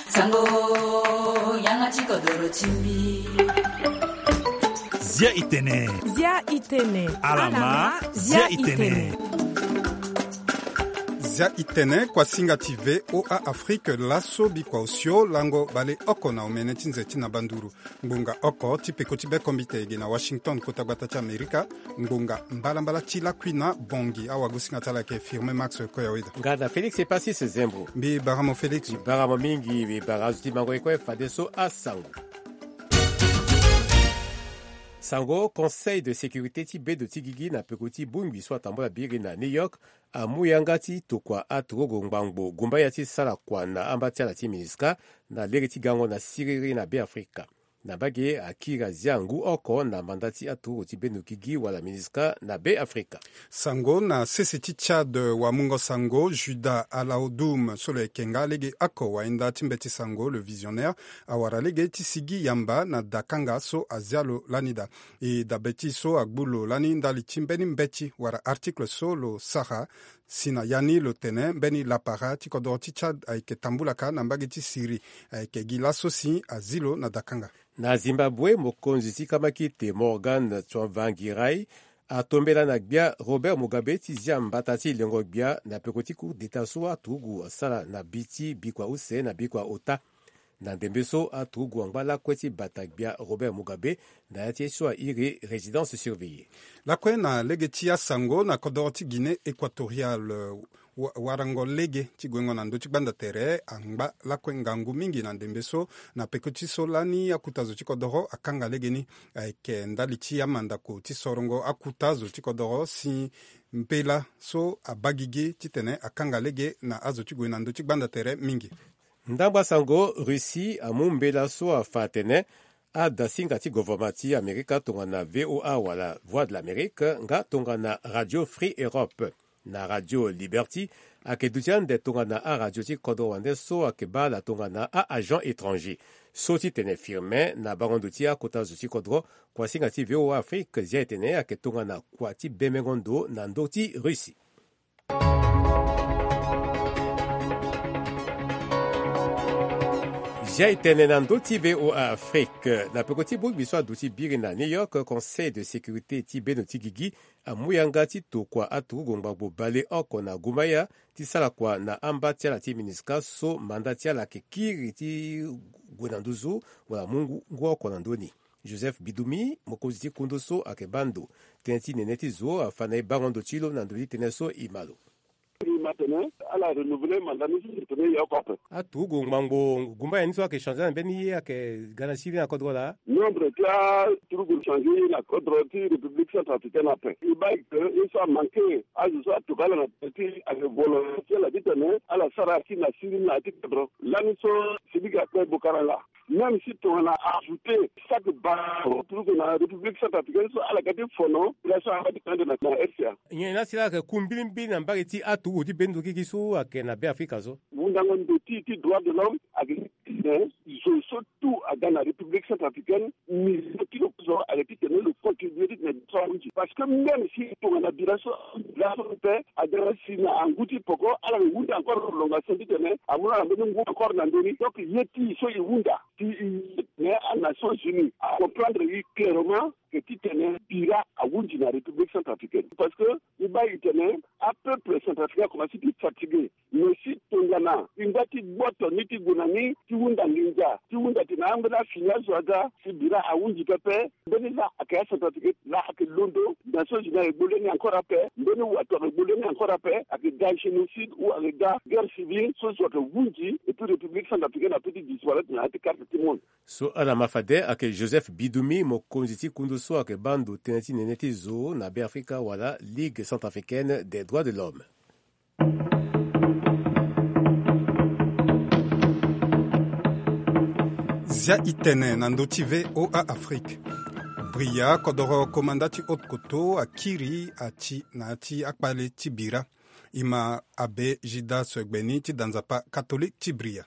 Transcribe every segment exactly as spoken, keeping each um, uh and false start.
Sango, yanga ti kodoro ti mbi. Zia itene. Zia itene. Alama, zia itene. Zia itene, kuasinga ti V O A Afrique, laso bikua osio lango baleoko na omene ti nze ti na banduru. Ngbonga oko ti peko ti bekombite ege na Washington, kota gbata ti Amerika. Ngbonga mbalambala ti lakui na bongi, awagosinga ti ala ayeke Firmin Max Koyaweda. Nga na Félix Epasis Zembo. Mbi bara mo Félix. Mbi bara mo mingi, mbi bara azo ti mango ye kue fadeso asango. Sango, Conseil de sécurité ti bendo ti gigi na peko ti bongbi so atambula biri na New York amu yanga ti tokua aturugu ngbangbo gumbaya ti sara kua na amba ti ala ti MINUSCA na lege ti gango na siriri na Beafrika. Na mbage akiri azia ngu oko na manda ti aturugu ti bendo gigi wala MINUSCA na Beafrika. Sango, na sese ti Tchad, wamungo sango Judas Alaodoum so lo yeke nga lege oko wahinda ti mbeti sango, le visionnaire, awara lege ti sigi yamba na dakanga so azia lo lani daa. E dabe ti so agbu lo lani ndali ti mbeni mbeti wala article so lo sara, si na ya ni lo tene mbeni lapara ti kodoro ti Tchad ayeke tambula kâ na mbage ti Syrie, ayeke gi laso si azi lo na dakanga. Na Zimbabwe, mokonzi ti kamakite Morgan Tsvangirai atombela na gbia Robert Mugabe ti zia mbata ti lengo gbia na peko ti coup d'État so aturugu asara na bi ti bikua use na bikua ota. Na ndembe so aturugu angba lakue ti bata gbia Robert Mugabe na ya ti ye so airi résidence surveillée. Lakue na lege ti asango, na kodoro ti Guinée équatoriale, wa- warango lege ti guengo na ndö ti gbanda tere angba lakue ngangu mingi na ndembe so, na peko ti so lani akuta zo ti kodoro akanga lege ni. Ayeke ndali ti amandako ti sorongo akuta zo ti kodoro si mbela so abaa gigi titene akanga lege na azo ti gue na ndö ti gbanda tere mingi. Ndangba sango, Russie amu mbela so afa atene adasinga ti governement ti Amerika tongana V O A wala Voix de l'Amérique nga tongana Radio Free Europe na Radio Liberty ayeke duti ande tongana aradio ti kodro wande so ayeke baa ala tongana a-agent étranger. So ti tene Firmin na bango ndo ti akota zo ti kodro, kuasinga ti V O A Afrique zia e tene ayeke tongana kua ti bemengo ndo na ndö ti Russie. Zia e tene na ndö ti V O A Afrique, na peko ti bongbi so aduti biri na New York, Conseil de sécurité ti bendo ti gigi amu yanga ti tokua aturugu ngbangbo baleoko na gumbaya ti sara kua na amba ti ala ti MINUSCA so manda ti ala ayeke kiri ti gue na nduzu wala mu ngu, ngu oko na ndö ni. Joseph Bidumi, mokonzi ti kundu so ayeke baa ndo tënë ti nene ti zo, afa na e bango ndo ti lo na ndo ti tënë so e ma lo. E ma tene ala renouveler mandat ni so tene e yeke oko ape. Aturugu ngbangbo gumbaya ni so ayeke changer na mbeni ye ayeke ga na siriri na kodro laa. Nombre ti aturugu changer na kodro ti République centrafricaine ape. E baa e ke ye so amanke azo so atoka ala na tënë ti ayeke volonté ti ala titene ala sara si na siriri na ya ti kodro. Lani so Sidiki akpe Bokaranga. Même si tongana ajoute chaque ba turugu na République centrafricaine so ala ga ti fono relation aba ti kande na, na R C A. Nyen ni asila ayeke ku mbilimbili na mbage ti aturugu ti bendo gigi so ayeke na Beafrika so. Wundango ndo ti, ti droit de l'homme ayeke ti tene zo so tout aga na République centrafricaine, ni zo ti lo so ayeke ti tene lo contribuer ti tene so ahunzi. Parce que même si tongana bira so, bira so ape aga na si na angu ti poko, ala yeke hunda encore prolongation ti tene amu na ala mbeni ngu encore na ndö ni. Donc ye ti e so e hunda ti e, mais aNations Unies acomprendre e clairement que ti tene bira ahunzi na République centrafricaine. Parce que e baa e tene apeuple centrafricain akomanse ti fatigué. Mais si tongana e ngba ti gboto ni ti gue na ni ti hunda nginza, ti hunda tene ambeni afini azo aga, si bira ahunzi pepe. Mbeni laa ayeke aCentrafricain laa ayeke londo, Nations Unies ayeke gbu leni encore ape, mbeni wato ayeke gbu leni encore ape, ayeke ga génocide ou ayeke ga guerre civile so zo ayeke hunzi, et puis République centrafricaine apeut ti disparaître na ya ti carte ti monde. So ala ma fade ayeke Joseph Bidumi, mokonzi ti kundu so ayeke baa ndo tënë ti nene ti zo na Beafrika wala Ligue centrafricaine des droits de l'homme. Zia e tene na ndö ti V O A Afrique. Bria kodoro komanda ti haute koto akiri ati na ya ti akpale ti bira. E ma abbé Gildas Gbeni ti da nzapa catholique ti Bria.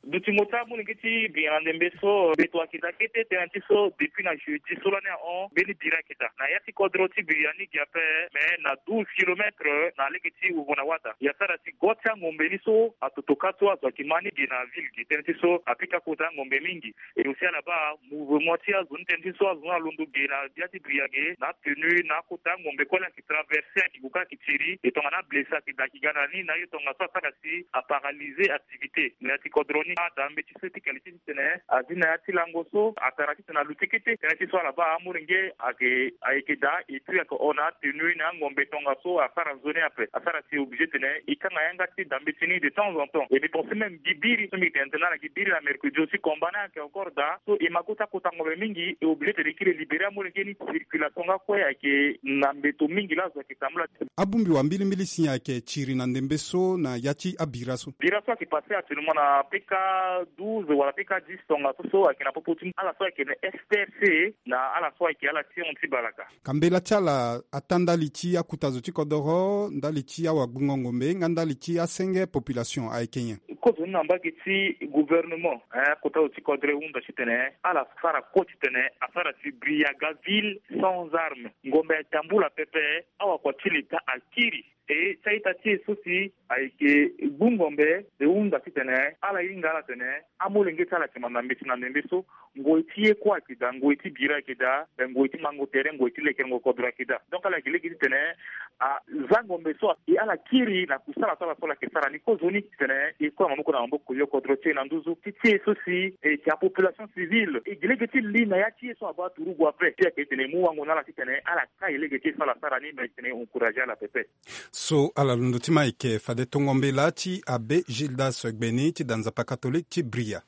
Dutingo ti amolenge ti Biria na ndembe so mbeto ayeke daa kete tënë ti so depuis na jeudi so lani ahon mbeni biri ayeke daa na ya ti kodro ti Biria ni gi ape. Mais na douze kilomètres na lege ti Wovo na Wada. Ya sara si go ti angombe ni so atoto kâ so azo ayeke ma ni ge na ville ge tënë ti so apika kota angombe mingi. Et aussi ala baa mouvement ti azo ni tënë ti so azo ni alondo ge na ya ti Biria ge na atenue na akota angombe kue la ayeke traverse ayeke gue kâ ayeke tiri. E tongana ablessé ayeke daa ayeke ga na ni na aye tongaso asara si aparalyser activité na ya ti kodro ni. Ada mbeti so ti qualité titene azi na ya ti lango so atara titene aluti kete tënë ti so ala baa amolenge ayeke ayeke daa. Et puis ayeke hon na atenue na angombe tongaso asara nzoni ape asara si obligé titene e kanga yanga ti da mbeti ni de temps en temps. Et mbi pense même gi biri so mbi tene tene na ala gi biri na mercredi aussi combat ni ayeke encore daa so e ma go ti akota ngombe mingi e obligé titene e kiri e libéré amolenge ni. Circulation nga kue ayeke na mbeto mingi laa azo ayeke tambula. Abongbi wa mbilimbili si ayeke tiri na ndembe so na ya ti abira so. Bira so ayeke passé actuellement na P K douze wala P K dix tongaso so ayeke na popo ti ala so ayeke na S T F C na ala so ayeke ala ti hon ti balaka. Ka mbela ti ala atâ ndali ti akuta zo ti kodoro ndali ti awagbungo ngombe nga ndali ti asenge population ayeke nyen? Kozo ni na mbage ti gouvernement, eh, akota zo ti kodro e hunda titene ala sara kue titene asara si Biria ga ville sans arme. Ngombe atambula pepe, awakua ti leta akiri. E ti a-ita ti e so si ayeke gbu ngombe e hunda titene ala hinga ala tene amolenge ti ala ayeke ma na mbeti na ndembe so. Ngoi ti ye kue ayeke daa, ngoi ti bira ayeke daa, ngoi ti mango tere, ngoi ti lekerengo kodro ayeke daa. Donc ala yeke lege titene aza ngombe so e ala kiri na kusala so ala so ala yeke sara ni kozoni titene e kue na maboko na maboko yo kodro ti e na nduzu ti ti e so si e yeke apopulation civile e gi lege ti li na ya ti e so abaa turugu ape. Ti ayeke titene e mu wango na ala titene ala kai lege ti e so ala sara ni me titene e encourager ala pepe. So ala londo ti ma eke fade tongo mbela ti abbé Gildas Gbeni ti da nzapa catholique ti Bria.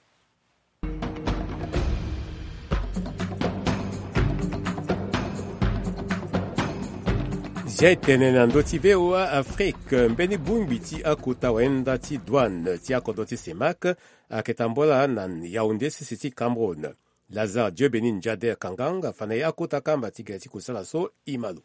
Zia e tene na ndö ti V O A Afrique, mbeni bongbi ti akota wayenda ti douane ti akodro ti CEMAC ayeke tambula na Yaoundé sese ti Cameroun. Lazare Dieu Béni Njader Kangang afa na e akota kamba ti gere ti kusala so e ma lo.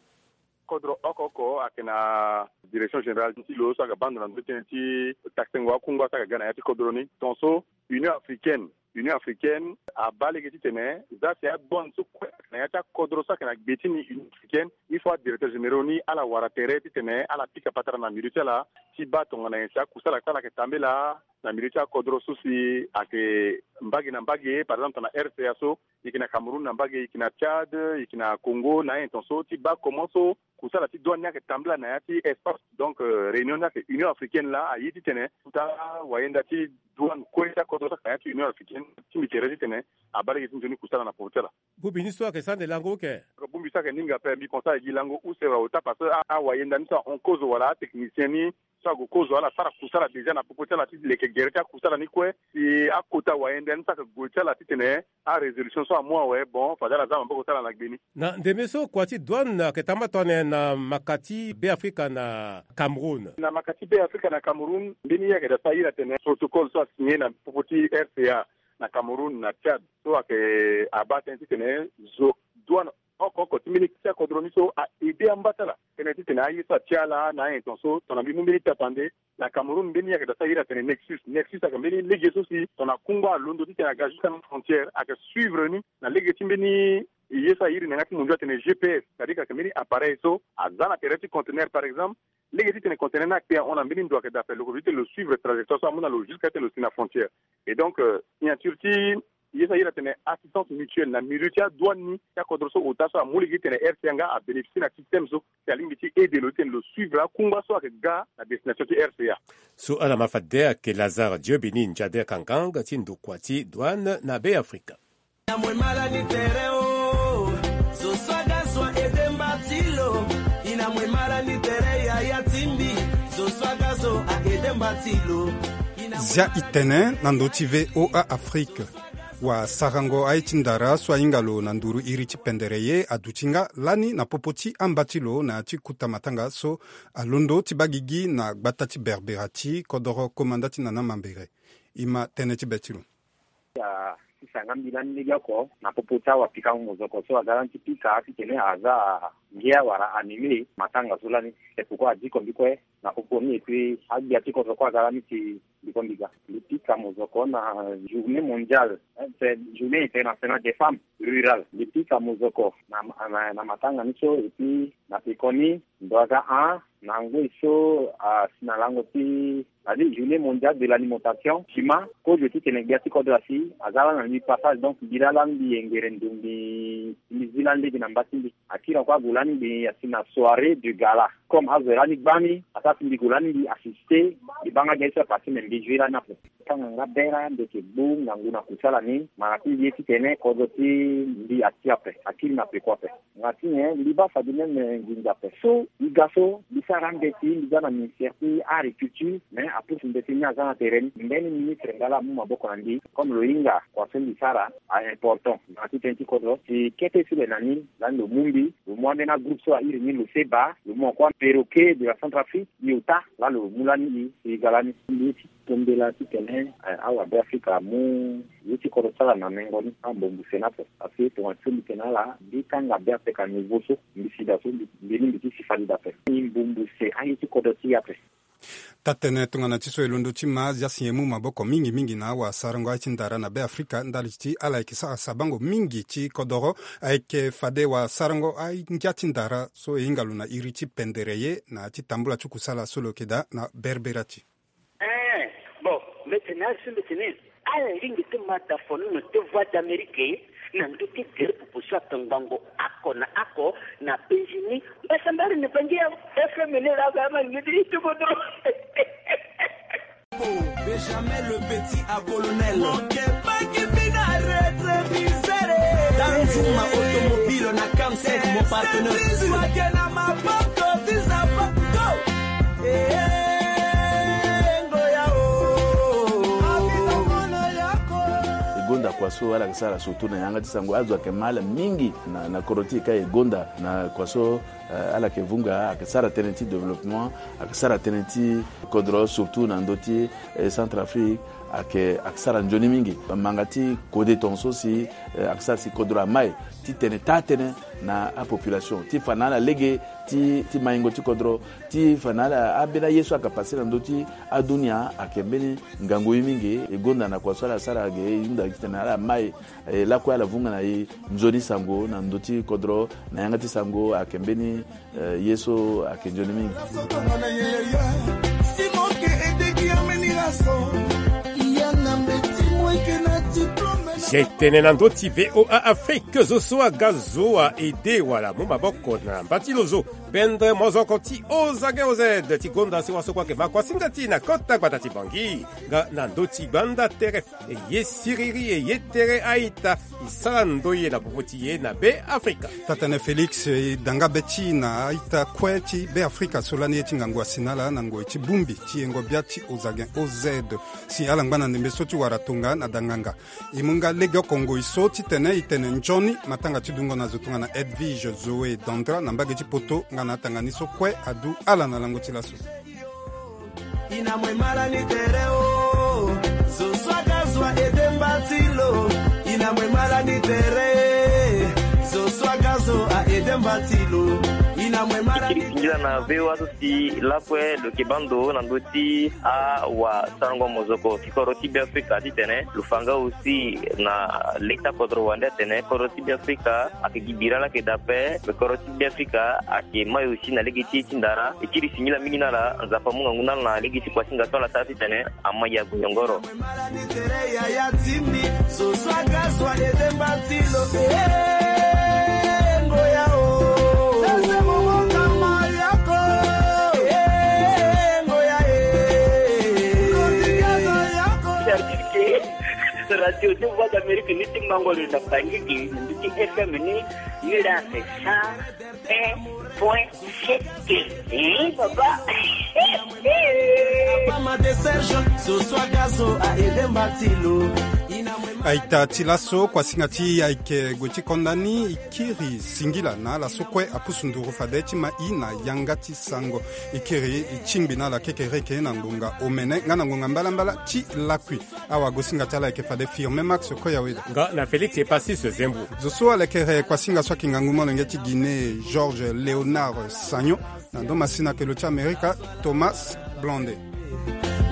Kodro oko oko ayeke na direction générale ti lo so ayeke baa ndo na ndö ti tënë ti taxengo akungba so ayeke ga na ya ti kodro ni. Tongaso Union africaine, Union africaine abaa lege titene za si adouane so kue ayeke na ya ti akodro so ayeke na gbe ti ni Union africaine, il faut adirecteur généraux ni ala wara tere titene ala pika patara na milieu ti ala ti baa tongana nyen si akusala ti ala ayeke tambela na milieu ti akodro so si ayeke mbage na mbage, par exemple tongana R C A so, e yeke na Cameroun na mbage, e yeke na Tchad, e yeke na Congo na ayen tongaso ti baa comment so kusala ti douane ni ayeke tambula na ya ti espace. Donc, euh, réunion ni ayeke Union africaine laa aye titene kota wayenda ti douane kue ti akodro so ayeke na ya ti Union africaine ti mbi tere titene abaa lege ti nzoni kusala na popo ti ala. Bongbi ni so ayeke sande lango oke. Bongbi so ayeke ni nga ape, mbi pense ayeke gi lango use wala ota parce que a, awayenda ni so ahon kozo wala atechnicien ni so ague kozo ala sara kusala déjà na popo ti ala ti leke gere ti akusala ni kue. Si akota wayenda ni so ayeke gue ti ala titene arésolution so amu awe, bon, fade ala za maboko ti ala na gbe ni. Na ndembe so kua ti douane ayeke tambula tongana nyen na maka ti Beafrika na Cameroun? Na maka ti Beafrika na Cameroun, mbeni ye ayeke daa so ahiri atene protocole so asigne na popo ti R C A na Cameroun na Tchad so ayeke abaa tënë titene zo douane oko oko ti mbeni ti akodro ni so a aidé amba ti ala tënë titene aye so atia ala na ayen tongaso. Tongana mbi mu mbeni tapande, na Cameroun mbeni ye ayeke daa so ahiri atene Nexus. Nexus ayeke mbeni lege so si tongana kungba alondo titene aga jusqu'à na frontière ayeke suivre ni na lege ti mbeni ye so ahiri na yanga ti mondio atene G P S, c'est-à-dire ayeke mbeni appareil so aza na tere ti conteneur par exemple. Lege titene conteneur ni akpe ahon na mbeni ndo ayeke daa ape, lo ko vite lo suivre trajectoire so amu na lo jusqu'à titene lo si na frontière. Et donc, euh, signature ti ye so ahiri atene assistance mutuelle na milieu ti adouane ni ti akodro so ota so amu lege titene R C A nga abénéficier na système so si alingbi ti aidé lo titene lo suivre akungba so ayeke ga na destination ti R C A. So ala ma fade ayeke Lazare Dieu Béni Njader Kangang ti ndokua ti douane na Beafrika. Zia e tene na ndö ti V O A Afrique. Wasarango aye ti ndara so ahinga lo na nduru iri ti pendere ye aduti nga lani na popo ti amba ti lo na ya ti kuta matanga so alondo ti baa gigi na gbata ti Berbera ti kodoro komanda ti Nana Mambere. E ma tënë ti be ti lo. Asisa nga mbi lani legeoko na popo ti awapikango mozoko so aga lani ti pika titene aza ngia wala animé matanga so lani. C'est pourquoi adiko mbi kue na popo ni et puis agbia ti kodro kue aga lani si mbi Mbi ga, mbi pika mozoko na journée mondiale, eh, c'est journée internationale des femmes rurales. Mbi pika mozoko na, na, na matanga ni so, et puis na pekoni ndo aga a na ngoi so asi na lango ti, c'est-à-dire journée mondiale de l'alimentation. Sima kozo titene gbia ti kodro asi aza lani na lui passage, donc mbi laa lani mbi yengere ndo mbi, mbi zi lani lege na mba ti mbi. Akiri na kue ague lani mbi asi na soirée du gala. Comme azo lani gbani, asara si mbi gue lani mbi assister. Mbi baa nga gi ye so apassé, mais mbi zwi lani ape. Tanga nga bera ndeke gbu ngangu na kusala ni, ma na ti mbi ye titene kodro ti mbi ati ape, akiri na peko ape. Nga ti nyen? Mbi baa fade même nginza ape. So e ga so mbi sara mbeti, mbi za na ministère ti agriculture, mais apusu mbeti ni aza na tere ni. Mbeni ministre nga laa amu maboko na mbi. Comme lo hinga kua so mbi sara a important na ti tënë ti kodro, si kete si le na ni lani lo mu mbi, lo mu ambeni agroupe so airi ni lo seba, lo mu encore perroquet de la Centrafrique, iota laa lo mu lani e si e ga lani. Mbi ye ti tombela titene, eh, awa Beafrika amu ye ti kodro ti ala na mengo ni, ambombo sena ape. Parce que tongana ti so mbi tene ala, mbi kanga Beafrika niveau so, mbi si daa so, mbi, mbi ni mbi ti si fade daa ape. Mbi mbombo se aye ti kodro ti e ape. Taa-tënë tongana ti so e londo ti ma, zia si e mu maboko mingi mingi na awasarango aye ti ndara na Beafrika ndali ti ala yeke sara sabango mingi ti kodoro, ayeke fade wasarango angia ti ndara so e hinga lo na iri ti pendere ye na ya ti tambula ti kusala so lo yeke daa na Berbera ti. Eh, bon, mbi tene asi mbi tene, ala lingbi ti ma da fono na te Voix d'Amérique na ndö ti gere popo so atongbango oko na oko na penzi ni. Mbasa mbari na bangi ya F M N la ba ma ngidi ti kodro. Benjamin le petit à colonel. Mon kepaki bina retroviseur. Danzuma automobile na Camsec, mon partenaire. Wake na maboko ti zapa. Go. Eh, ngoya o. E gonda kua so ala yeke sara surtout na yanga ti sango, azo ayeke ma ala mingi na, na kodro ti e ka e gonda na kua so, eh, ala yeke vunga, ayeke sara tënë ti développement, ayeke sara tënë ti kodro surtout na ndö ti, eh, Centrafrique, ayeke, ayeke sara nzoni mingi. Manga ti kode tongaso si, eh, ayeke sara si kodro amai titene taa-tënë na apopulation ti fa na ala lege ti, ti maingo ti kodro, ti fa na ala ambeni aye so ayeke passe na ndö ti adunia ayeke mbeni ngangu ye mingi. E gonda na kua so ala sara ge, e hunda titene ala mai, e lakue ala vunga na e nzoni sango na ndö ti kodro, na yanga ti sango ayeke mbeni, eh, ye so ayeke nzoni mingi. Ye tene na ndö ti V O A Afrique, zo so aga zo a ede wala mu maboko na mba ti lo zo. Pendre mozoko ti Ozage O Z ti gonda si waso kue ayeke ma kuasinga ti e na kota gbata ti Bangui. Nga na ndö ti gbanda tere, e ye siriri, e ye tere a-ita, e sara ndoye na popo ti e na Beafrika. Taa-tënë Félix, e da nga be ti e na a-ita kue ti Beafrika so lani ye ti ngangu asi na ala na ngoi ti bongbi ti yengo bia ti Ozage O Z. Si ala ngba na ndembe so ti wara tonga na danganga. E mu nga legeoko ngoi so titene e tene nzoni matanga ti dungo na zo tongana Edwige Zoé Dandra na mbage ti poto nga na atanga ni so kue adu ala na lango ti laso. Ina mwe mara ni tere o, zo so aga zo a ede mba ti lo. Ina mwe mara ni tere, zo so aga zo a ede mba ti lo. Ina mwe mara ni tere. Singila na V O A so si lakue lo yeke baa ndo na ndö ti awasarango mozoko ti kodro ti Beafrika titene lo fa nga aussi na leta kodro wande atene kodro ti Beafrika ayeke gi bira laa ayeke daa ape, me kodro ti Beafrika ayeke mai aussi na lege ti e ti ndara. E kiri singila mingi na ala, Nzapa amu ngangu na ala na lege ti kuasinga so ala sara titene amai ague nyongoro. Radio ti Voix d'Amérique ni ti mango lo na Bangui gi na ndö ti F M ni, ni la c'est cent un point sept. Eh, papa. Papa ma de Serge, zo so aga zo a ede mba ti lo. Ina mwe ma- A-ita ti laso, kuasinga ti e ayeke gue ti konda ni, e kiri singila na ala so kue apusu nduru fade ti ma e na yanga ti sango. E kiri e tingbi na ala kekereke na ngonga omene nga na ngonga mbalambala ti lakui. Awagosinga ti ala ayeke fade Firmin Max Koyaweda. Nga na Félix Epasis Zembo. Zo so alekere kuasinga so ayeke ngangu molenge ti Guinée, Georges Léonard Sagnon, na ndo masina kelo ti Amerika, Thomas Blondet.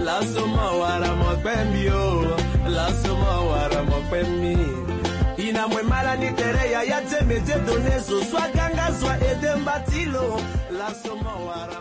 Laso mawara mokpembi o. Laso mawara mokpembi. Ina mwe mara ni tere ya ya teme te done zo swa ganga zwa ede mbatilo. Laso mawara